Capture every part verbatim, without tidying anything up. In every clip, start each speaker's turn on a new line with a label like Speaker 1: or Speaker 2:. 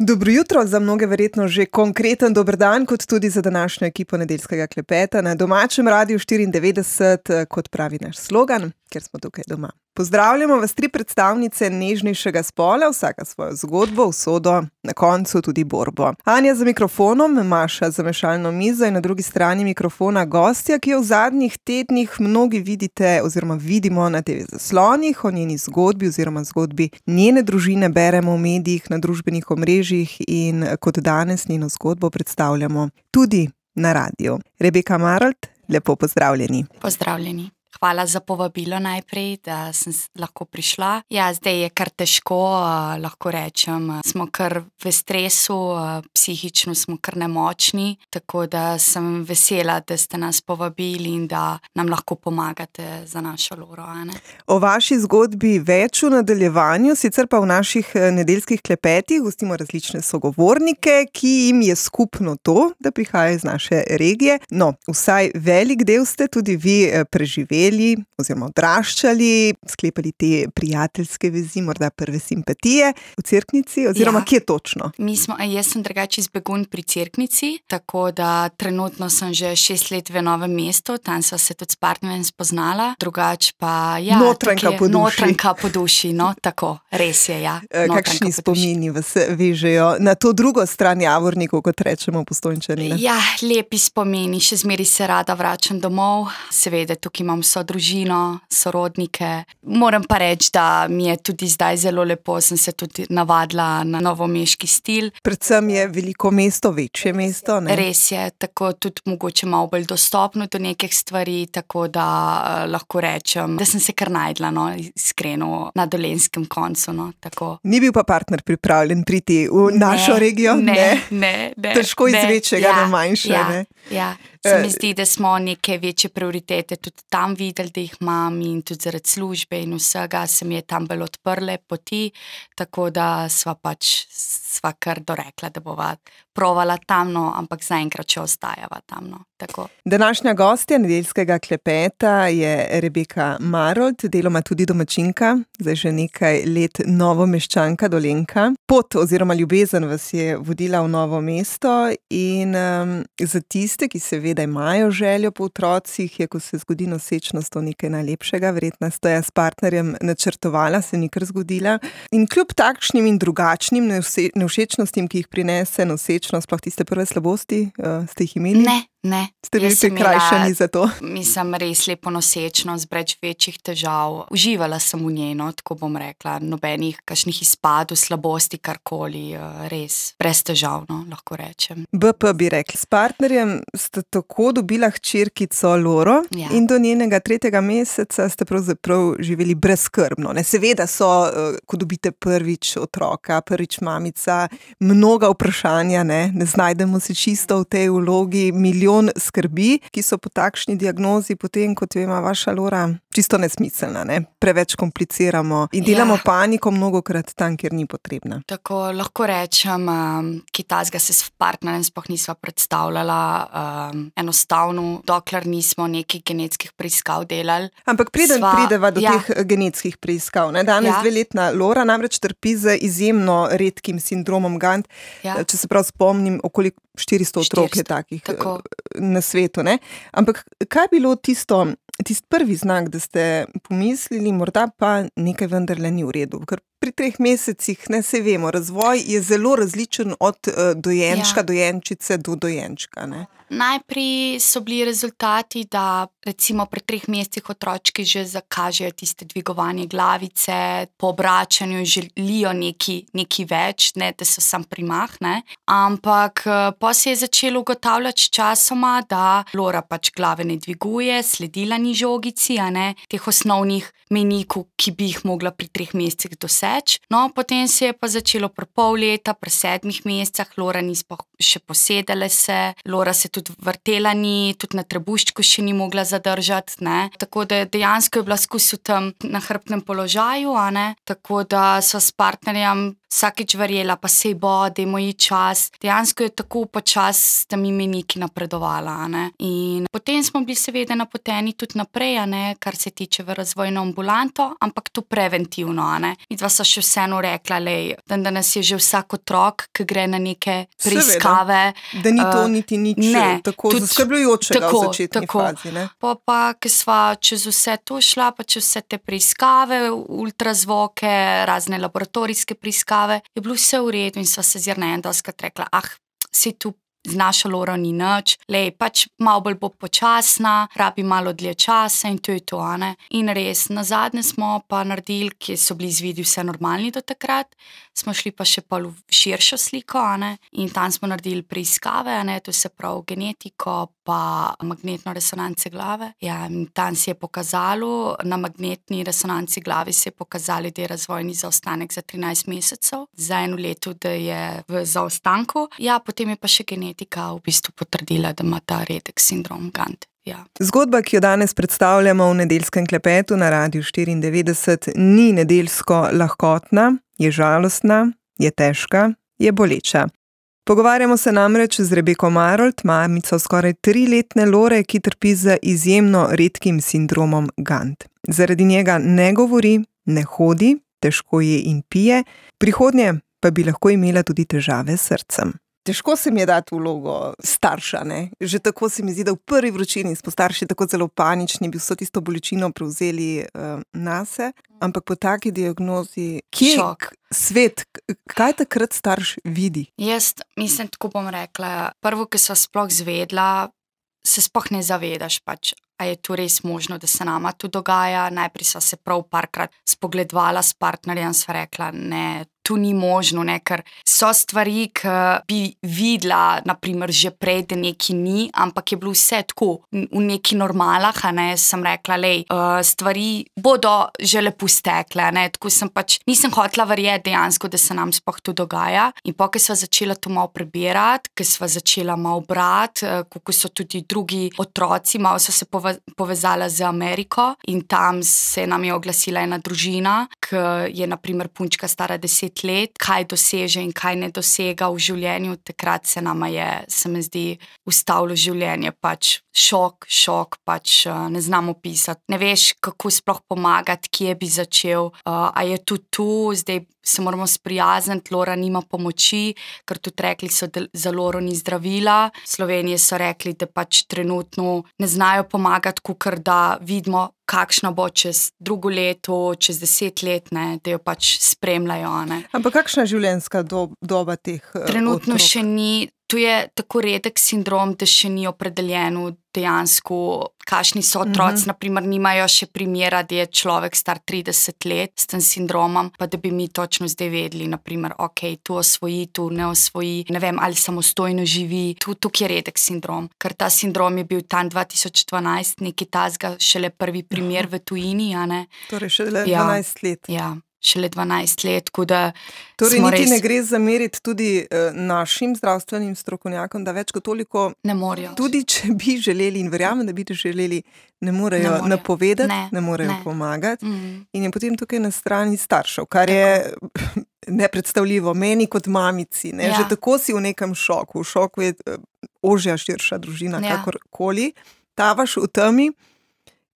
Speaker 1: Dobro jutro, za mnoge verjetno že konkreten dober dan, kot tudi za današnjo ekipo Nedeljskega klepeta na domačem Radiu štiriindevetdeset, kot pravi naš slogan, ker smo tukaj doma. Pozdravljamo vas tri predstavnice nežnejšega spola, vsaka svojo zgodbo, usodo, na koncu tudi borbo. Anja za mikrofonom, Maša za mešalno mizo in na drugi strani mikrofona gostja, ki jo v zadnjih tednih mnogi vidite oziroma vidimo na te ve zaslonih, o njeni zgodbi oziroma zgodbi njene družine beremo v medijih, na družbenih omrežjih in kot danes njeno zgodbo predstavljamo tudi na radiju. Rebeka Marolt, lepo pozdravljeni.
Speaker 2: Pozdravljeni. Hvala za povabilo najprej, da sem lahko prišla. Ja, zdaj je kar težko, lahko rečem, smo kar v stresu, psihično smo kar nemočni, tako da sem vesela, da ste nas povabili in da nam lahko pomagate za našo Loro, Ane.
Speaker 1: O vaši zgodbi več v nadaljevanju, sicer pa v naših nedeljskih klepetih gostimo različne sogovornike, ki jim je skupno to, da prihajajo iz naše regije. No, vsaj velik del ste tudi vi preživeli oziroma odraščali, sklepali te prijateljske vezi, morda prve simpatije v Cerknici, oziroma ja. Kje točno?
Speaker 2: Mi smo, jaz sem drugače iz Begunj pri Cerknici, tako da trenutno sem že šest let v Novem mestu, tam sva se tudi s partnerjem spoznala, drugače pa ja,
Speaker 1: notranka po duši.
Speaker 2: Notranka po duši, no, tako, res je, ja.
Speaker 1: Kakšni spomini vas vežejo na to drugo stran Javornikov, kot rečemo Postojnčani?
Speaker 2: Ja, lepi spomini, še zmeri se rada vračam domov, seveda tukaj imam so družino, sorodnike. Moram pa reči, da mi je tudi zdaj zelo lepo, sem se tudi navadila na novomeški stil.
Speaker 1: Predvsem je veliko mesto, večje mesto, ne?
Speaker 2: Res je, tako tudi mogoče malo bolj dostopno do nekih stvari, tako da uh, lahko rečem, da sem se kar najdla, no, iskreno, na Dolenjskem koncu, no, tako.
Speaker 1: Ni bil pa partner pripravljen priti v ne, našo regijo?
Speaker 2: Ne, ne, ne. ne
Speaker 1: Težko iz
Speaker 2: ne,
Speaker 1: večjega
Speaker 2: ja,
Speaker 1: na manjše,
Speaker 2: ja,
Speaker 1: ne?
Speaker 2: Ja, se mi zdi, da smo neke večje prioritete tudi tam videli, da jih imam in tudi zaradi službe in vsega se mi je tam bolj odprle poti, tako da sva pač sva kar dorekla, da bova provala tam, no, ampak zaenkrat še ostajava tam, no, tako.
Speaker 1: Današnja gostja Nedeljskega klepeta je Rebeka Marolt, deloma tudi domačinka, zdaj že nekaj let Novomeščanka, Dolenjka. Pot oziroma ljubezen vas je vodila v Novo mesto in um, za tiste, ki seveda imajo željo po otrocih, je, ko se zgodi nosečnost, to nekaj najlepšega, verjetno ste ja s partnerjem načrtovala, se ni kar zgodila. In kljub takšnim in drugačnim nevšečnostim, ki jih prinese nosečnost, sploh tiste prve slabosti, uh, ste jih imeli?
Speaker 2: Ne, ne.
Speaker 1: Ste bili prikrajšani za to?
Speaker 2: Mislim, res lepo nosečnost, brez večjih težav. Uživala sem v njej, no, tako bom rekla, nobenih kakšnih izpadov, slabosti, karkoli, res, brez težav, no, lahko rečem.
Speaker 1: B P bi rekli, s partnerjem ste tako dobila hčerkico Loro
Speaker 2: ja.
Speaker 1: In do njenega tretjega meseca ste pravzaprav živeli brezskrbno. Ne, seveda so, ko dobite prvič otroka, prvič mamica, mnoga vprašanja, ne, ne znajdemo se čisto v tej vlogi, milijon skrbi, ki so po takšni diagnozi potem, kot jo ima vaša Lora, čisto nesmiselna, ne? Preveč kompliciramo in delamo ja. Paniko mnogokrat tam, kjer ni potrebna.
Speaker 2: Tako lahko rečem, um, ki tazga se s partnerjem sploh nisva predstavljala, um, enostavno, dokler nismo nekih genetskih preiskav delali.
Speaker 1: Ampak preden
Speaker 2: sva,
Speaker 1: prideva do
Speaker 2: ja.
Speaker 1: teh genetskih preiskav, ne? Danes ja. dveletna Lora namreč trpi z izjemno redkim sindromom Gant. Ja. Če se prav spomnim, okoli štiristo otrok je takih tako. Na svetu, ne? Ampak kaj je bilo tisto, tisti prvi znak, da ste pomislili, morda pa nekaj vendarle ni v redu? Ker pri treh mesecih, ne, se vemo, razvoj je zelo različen od uh, dojenčka, ja. Dojenčice do dojenčka, ne?
Speaker 2: Najprej so bili rezultati, da recimo pri treh mesecih otročki že zakažejo tiste dvigovanje glavice, po obračanju želijo neki, neki več, ne, da so sam primah, ne. Ampak pa se je začelo ugotavljati časoma, da Lora pač glave ne dviguje, sledila ni žogici, a ne, teh osnovnih mejnikov, ki bi jih mogla pri treh mesecih doseči. No, potem se je pa začelo pri pol leta, pri sedmih mesecah, Lora ni še posedala se, Lora se tudi vrtela ni, tudi na trebuščku še ni mogla zadržati, ne. Tako da dejansko je bila skozi v tem nahrbtnem položaju, a ne. Tako da so s partnerjem vsakič verjela, pa sej bo, dajmo ji čas. Dejansko je tako počas s temi meniki napredovala, ne. In potem smo bili seveda napoteni tudi naprej, a ne, kar se tiče v razvojno ambulanto, ampak tu preventivno, a ne. Midva sva še vseeno rekla, lej, dandanes je že vsak otrok, ki gre na neke preiskave.
Speaker 1: Seveda, da ni to uh, niti nič ne, tako tudi, zaskrbljujočega tako, v začetni tako. fazi, ne.
Speaker 2: Pa pa, ki sva čez vse to šla, pa čez vse te preiskave, ultrazvoke, razne laboratorijske preiskave, je bilo vse v redu in sva se zirna en doskrat rekla, ah, si tu z našo Loro ni nič, lej, pač malo bolj bo počasna, rabi malo dlje časa in to je to, a ne. In res, nazadnje smo pa naredili, ki so bili izvidi vse normalni do takrat, smo šli pa še pol v širšo sliko, a ne, in tam smo naredili preiskave, a ne, to se pravi genetiko pa magnetno resonance glave. Ja, in tam se je pokazalo, na magnetni resonanci glavi se je pokazali, da je razvojni zaostanek za trinajst mesecev, za eno leto, da je v zaostanku. Ja, potem je pa še genetika v bistvu potrdila, da ima ta redek sindrom Gant. Ja.
Speaker 1: Zgodba, ki jo danes predstavljamo v nedeljskem klepetu na Radiu štiriindevetdeset, ni nedeljsko lahkotna, je žalostna, je težka, je boleča. Pogovarjamo se namreč z Rebeko Marolt, mamico skoraj triletne Lore, ki trpi za izjemno redkim sindromom Gant. Zaradi njega ne govori, ne hodi, težko je in pije, prihodnje pa bi lahko imela tudi težave s srcem. Težko se mi je dati vlogo starša, ne? Že tako se mi zdi, da v prvi vročini smo starši tako zelo panični, bi vso tisto bolečino prevzeli uh, nase, ampak po taki diagnozi, kje
Speaker 2: Šok.
Speaker 1: Svet, kaj takrat starš vidi?
Speaker 2: Jaz mislim, tako bom rekla, prvo, ki sva sploh zvedla, se sploh ne zavedaš pač, a je to res možno, da se nama to dogaja. Najprej sva se prav parkrat spogledovala s partnerjem, sva rekla, ne, tu ni možno, ne, ker so stvari, ki bi videla, naprimer, že prej, da neki ni, ampak je bilo vse tako v neki normalah, a ne, sem rekla, lej, uh, stvari bodo že lepo stekle, ne, tako sem pač, nisem hotela verjeti dejansko, da se nam sploh to dogaja. In po, ko sva začela to malo prebirati, ko sva začela malo brati, uh, kako so tudi drugi otroci, malo so se pove, povezala z Ameriko in tam se nam je oglasila ena družina, ki je naprimer punčka stara deset let, kaj doseže in kaj ne dosega v življenju, takrat se nama je, se mi zdi, ustavilo življenje, pač šok, šok, pač ne znam opisati. Ne veš, kako sploh pomagati, kje bi začel, uh, a je tudi tu, zdaj se moramo sprijazniti, Lora nima pomoči, ker tudi rekli so, da za Loro ni zdravila. V Sloveniji so rekli, da pač trenutno ne znajo pomagati, kakor da vidimo, kakšna bo čez drugo leto, čez deset let, ne, da jo pač spremljajo. Ne.
Speaker 1: Ampak kakšna je življenjska dob, doba teh uh,
Speaker 2: Trenutno
Speaker 1: otrok?
Speaker 2: še ni. Tu je tako redek sindrom, da še ni opredeljeno dejansko, kakšni so otroci, uh-huh. naprimer nimajo še primera, da je človek star trideset let s tem sindromom, pa da bi mi točno zdaj vedeli, naprimer, ok, tu osvoji, tu ne osvoji, ne vem, ali samostojno živi, tu, tukaj je redek sindrom, ker ta sindrom je bil tam dva tisoč dvanajst, nekaj tazga, šele prvi primer v tujini, a ne.
Speaker 1: Torej šele ja. dvanajst let.
Speaker 2: Ja. Šele dvanajst let, tako da
Speaker 1: torej niti
Speaker 2: res...
Speaker 1: ne gre zameriti tudi uh, našim zdravstvenim strokovnjakom, da več kot toliko
Speaker 2: ne morejo.
Speaker 1: Tudi če bi želeli in verjamem, da bi želeli, ne morejo, ne morejo. napovedati, ne, ne morejo ne. pomagati. Mm. In je potem tukaj na strani staršev, kar tako. je nepredstavljivo meni kot mamici. Ne? Ja. Že tako si v nekem šoku. V šoku je uh, ožja, širša družina, ja. kakorkoli. Tavaš v temi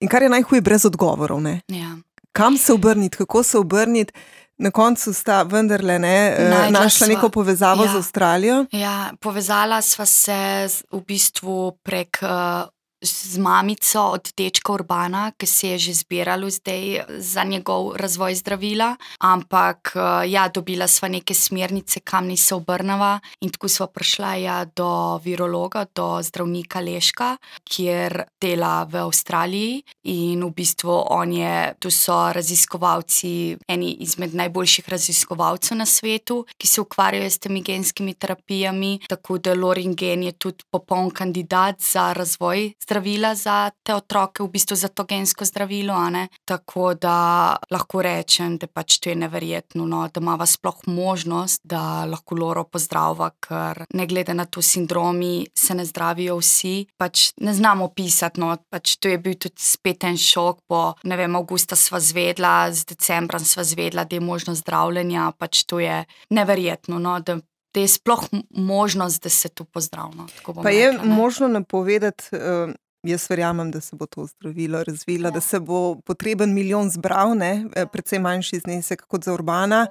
Speaker 1: in kar je najhuje, brez odgovorov. Ne?
Speaker 2: Ja.
Speaker 1: Kam se obrniti, kako se obrniti, na koncu sta vendarle ne, našla neko povezavo ja. z Avstralijo?
Speaker 2: Ja, povezala sva se v bistvu prek uh, z mamico od dečka Urbana, ki se je že zbiralo zdaj za njegov razvoj zdravila, ampak uh, ja, dobila sva neke smernice, kam ni se obrnava in tako sva prišla ja, do virologa, do zdravnika Leška, kjer dela v Avstraliji in v bistvu on je, tu so raziskovalci, eni izmed najboljših raziskovalcev na svetu, ki se ukvarjajo s temi genskimi terapijami, tako da Lorin gen je tudi popoln kandidat za razvoj zdravila za te otroke, v bistvu za to gensko zdravilo, a ne. Tako da lahko rečem, da pač to je neverjetno, no, da imava sploh možnost, da lahko Loro pozdrava, ker ne glede na to sindromi se ne zdravijo vsi, pač ne znam opisati, no, pač to je bil tudi spet spet en šok, bo, ne vem, avgusta sva zvedla, z decembrom sva zvedla, da je možnost zdravljenja, pač to je neverjetno, no, da, da je sploh možnost, da se to pozdravno.
Speaker 1: Pa je rekla, možno napovedati, uh, jaz verjamem, da se bo to zdravilo razvilo, ja. Da se bo potreben milijon zbral, ne, ja. Predvsem manjši znesek kot za Urbana,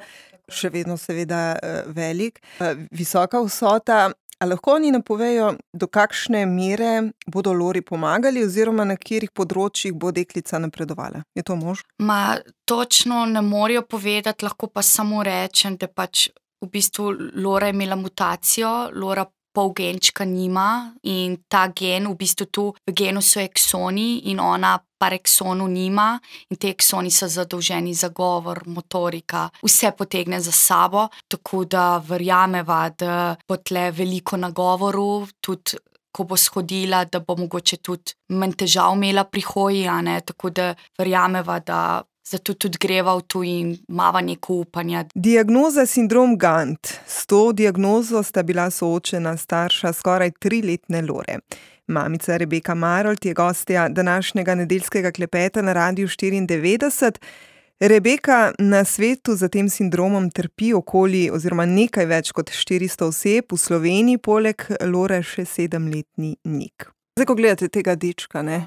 Speaker 1: še vedno seveda uh, velik, uh, visoka vsota. A lahko oni napovejo, do kakšne mere bodo Lori pomagali oziroma na katerih področjih bo deklica napredovala? Je to možno?
Speaker 2: Ma, točno ne morajo povedati, lahko pa samo rečem, da pač v bistvu Lora je imela mutacijo, Lora pol genčka nima in ta gen, v bistvu tu v genu so eksoni in ona par eksonu nima in te eksoni so zadolženi za govor, motorika, vse potegne za sabo, tako da verjameva, da bo tle veliko na govoru, tudi ko bo shodila, da bo mogoče tudi manj težav imela pri hoji, a ne, tako da verjameva, da zato tudi greva v tu in mava neko upanja.
Speaker 1: Diagnoza sindrom Gant. S to diagnozo sta bila soočena starša skoraj triletne Lore. Mamica Rebeka Marolt je gostja današnjega nedeljskega klepeta na Radiu štiriindevetdeset. Rebeka, na svetu za tem sindromom trpi okoli oziroma nekaj več kot štiristo oseb, v Sloveniji poleg Lore še sedemletni Nik. Zdaj, ko gledate tega dečka, ne,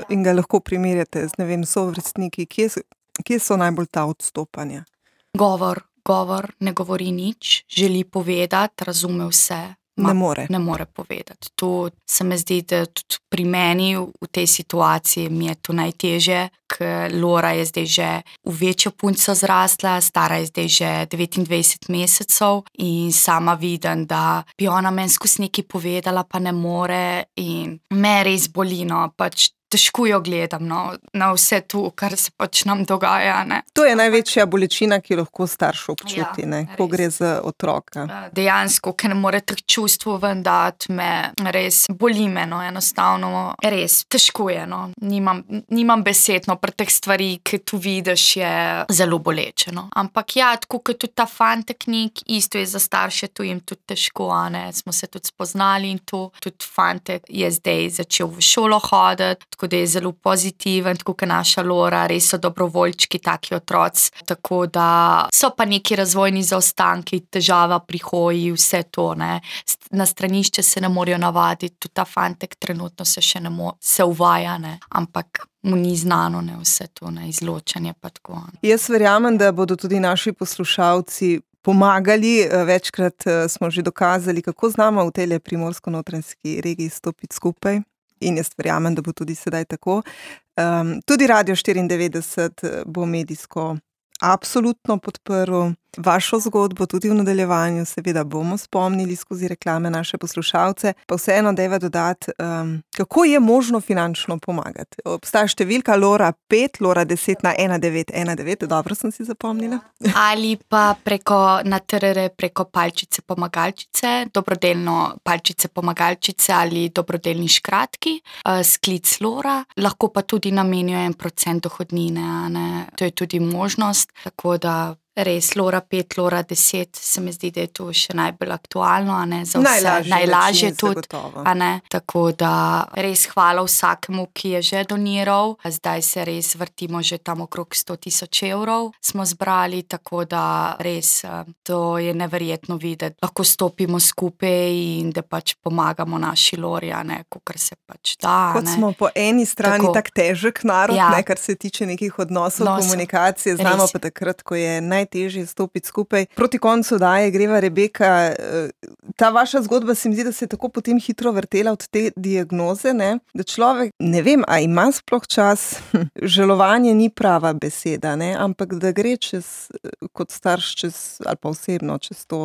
Speaker 1: in ga lahko primerjate z, ne vem, sovrstniki, kje, kje so najbolj ta odstopanja?
Speaker 2: Govor, govor, ne govori nič, želi povedati, razume vse. Ma,
Speaker 1: ne more.
Speaker 2: Ne more povedati. To se mi zdi, da tudi pri meni v tej situaciji mi je to najtežje, ker Lora je zdaj že v večjo punco zrasla, stara je zdaj že devetindvajset mesecev in sama vidim, da bi ona meni skozi nekaj povedala, pa ne more in me res boli, no, pač težko jo gledam, no, na vse to, kar se pač nam dogaja, ne.
Speaker 1: To je največja bolečina, ki lahko starš občuti,
Speaker 2: ja,
Speaker 1: ne, ko gre za otroka.
Speaker 2: Dejansko, ker ne more teh čustv ven dati, me res boli me, no, enostavno, res, težko je, no, nimam, nimam besed, no, pri teh stvari, ki tu vidiš, je zelo boleče, no. Ampak ja, tako kot tudi ta fantek Nik, isto je za starše, to jim tudi težko, a ne, smo se tudi spoznali in to, tudi fantek je zdaj začel v šolo hoditi, tako da je zelo pozitiven, tako kot naša Lora, res so dobrovoljčki, taki otroci, tako da so pa neki razvojni zaostanki, težava pri hoji, vse to, ne. Na stranišče se ne morajo navaditi, tudi ta fantek trenutno se še ne more, se uvaja, ne, ampak mu ni znano, ne, vse to, ne, izločanje pa tako.
Speaker 1: Jaz verjamem, da bodo tudi naši poslušalci pomagali, večkrat smo že dokazali, kako znamo v tej primorsko-notranjski regiji stopiti skupaj. In jaz verjamem, da bo tudi sedaj tako. Um, tudi Radio štiriindevetdeset bo medijsko absolutno podprl vašo zgodbo, tudi v nadaljevanju, seveda bomo spomnili skozi reklame naše poslušalce, pa vseeno dajva dodati, um, kako je možno finančno pomagati. Obstaja številka Lora pet, Lora deset na ena devet ena devet, dobro sem si zapomnila.
Speaker 2: Ali pa preko na te er er preko palčice pomagalčice, dobrodelno palčice pomagalčice ali dobrodelni škratki, uh, sklic Lora, lahko pa tudi namenijo en procent dohodnine, a ne, to je tudi možnost, tako da res, Lora pet, Lora deset, se mi zdi, da je to še najbolj aktualno, a ne, za vse,
Speaker 1: najlažje,
Speaker 2: najlažje tudi, a ne, tako da res hvala vsakemu, ki je že doniral, zdaj se res vrtimo že tam okrog sto tisoč evrov, smo zbrali, tako da res, to je neverjetno videti, lahko stopimo skupaj in da pač pomagamo naši Lori, a ne, kakor se pač da,
Speaker 1: kot
Speaker 2: ne.
Speaker 1: smo po eni strani
Speaker 2: Tako.
Speaker 1: tak težek narod,
Speaker 2: Ja.
Speaker 1: ne, kar se tiče nekih odnosov,
Speaker 2: Odnosov.
Speaker 1: komunikacije, znamo
Speaker 2: Res.
Speaker 1: pa takrat, ko je najtežje stopiti skupaj. Proti koncu daje greva Rebeka, ta vaša zgodba se mi zdi, da se je tako potem hitro vrtela od te diagnoze, ne, da človek, ne vem, a ima sploh čas, žalovanje ni prava beseda, ne, ampak da gre čez, kot starš čez, ali pa osebno, čez to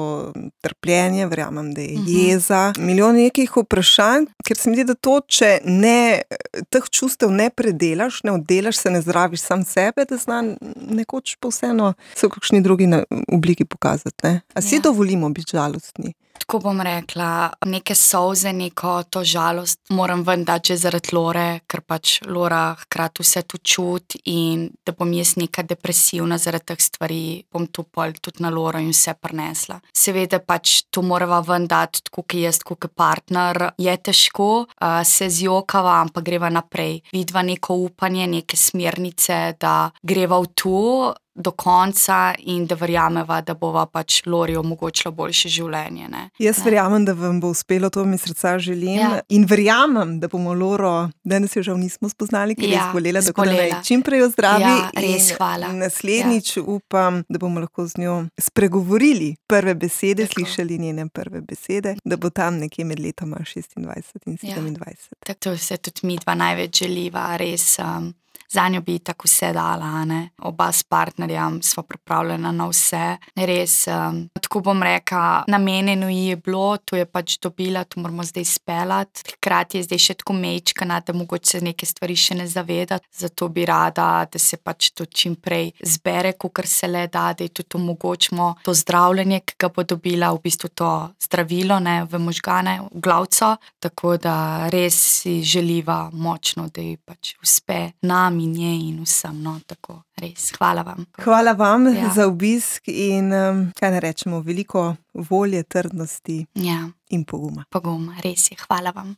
Speaker 1: trpljenje, verjamem, da je jeza, milijon nekih vprašanj, ker se mi zdi, da to, če ne, teh čustev ne predelaš, ne oddelaš, se ne zdraviš sam sebe, da zna nekoč pa vseeno se v kakšni drugi na- obliki pokazati, ne. A si
Speaker 2: Ja.
Speaker 1: dovolimo biti žalostni?
Speaker 2: Tako bom rekla, neke solze, neko to žalost moram ven dati že zaradi Lore, ker pač Lora hkrati vse to čuti in da bom jaz neka depresivna zaradi teh stvari, bom to pol tudi na Loro in vse prinesla. Seveda pač to morava ven dati, tako kot jaz, tako kot partner. Je težko, uh, se zjokava, ampak greva naprej. Vidva neko upanje, neke smernice, da greva v to do konca in da verjameva, da bova pač Lori omogočila boljše življenje. Ne?
Speaker 1: Jaz
Speaker 2: ne.
Speaker 1: verjamem, da vam bo uspelo, to mi srca želim.
Speaker 2: Ja.
Speaker 1: In verjamem, da bomo Loro, danes jo žal nismo spoznali, ker je
Speaker 2: Ja,
Speaker 1: zbolela, tako da
Speaker 2: zbolela.
Speaker 1: naj čim prej ozdravi.
Speaker 2: Ja, res,
Speaker 1: in
Speaker 2: hvala.
Speaker 1: naslednjič upam, da bomo lahko z njo spregovorili prve besede,
Speaker 2: Tako.
Speaker 1: slišali njene prve besede, da bo tam nekje med letoma šestindvajset in sedemindvajset.
Speaker 2: Tako to se tudi mi dva največ želiva, res. Um, Zanjo bi tako vse dala, ne? Oba s partnerjem sva pripravljena na vse. Res, um, tako bom rekla, namenjeno ji je bilo, to je pač dobila, to moramo zdaj speljati. Hkrati je zdaj še tako mečkana, da mogoče se neke stvari še ne zaveda. Zato bi rada, da se pač to čim prej zbere, kakor se le da, da ji tudi omogočimo to zdravljenje, ki ga bo dobila, v bistvu to zdravilo, ne, v možgane, v glavco. Tako da res si želiva močno, da ji pač uspe nam in njej in vsem, no, tako res. Hvala vam.
Speaker 1: Hvala vam
Speaker 2: Ja.
Speaker 1: za obisk in, um, kaj ne rečemo, veliko volje, trdnosti
Speaker 2: Ja,
Speaker 1: in poguma.
Speaker 2: pogum, res je. Hvala vam.